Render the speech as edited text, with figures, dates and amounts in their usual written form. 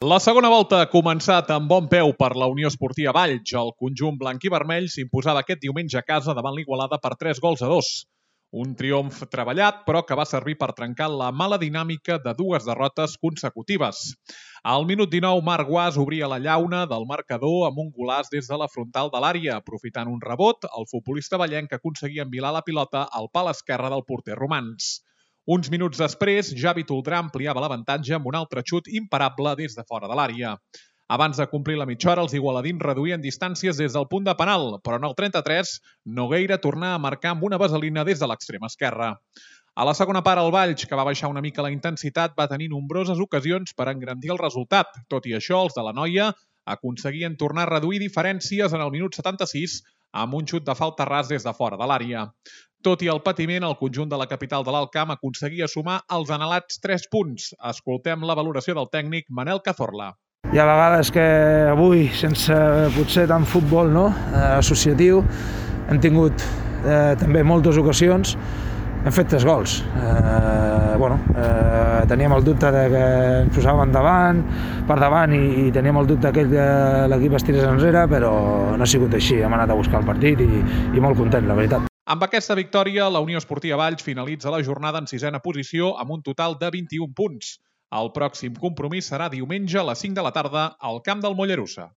La segona volta ha començat amb bon peu per la Unió Esportiva Valls. El conjunt blanc i vermell s'imposava aquest diumenge a casa davant l'Igualada per 3-2. Un triomf treballat, però que va servir per trencar la mala dinàmica de dues derrotes consecutives. Al minut 19, Marc Guas obria la llauna del marcador amb un golaç des de la frontal de l'àrea. Aprofitant un rebot, el futbolista vallenc aconseguia envilar la pilota al pal esquerre del porter romans. Uns minuts després, Javi Toldrà ampliava l'avantatge amb un altre xut imparable des de fora de l'àrea. Abans de complir la mitja hora, els igualadins reduïen distàncies des del punt de penal, però en el 33, Nogueira tornà a marcar amb una vaselina des de l'extrem esquerre. A la segona part, el Valls, que va baixar una mica la intensitat, va tenir nombroses ocasions per engrandir el resultat. Tot i això, els de la Noia aconseguien tornar a reduir diferències en el minut 76 amb un xut de falta ras des de fora de l'àrea. Tot i el patiment, el conjunt de la capital de l'Alt Camp aconseguia sumar els anhelats 3 punts. Escoltem la valoració del tècnic Manel Cazorla. Hi ha vegades que avui, sense potser tant futbol associatiu, hem tingut també moltes ocasions, hem fet 3 gols. Teníem el dubte de que ens posàvem per davant i teníem el dubte que l'equip es tirés enrere, però no ha sigut així. Hem anat a buscar el partit i molt content, la veritat. Amb aquesta victòria, la Unió Esportiva Valls finalitza la jornada en 6ª posició amb un total de 21 punts. El pròxim compromís serà diumenge a les 5 de la tarda al camp del Mollerussa.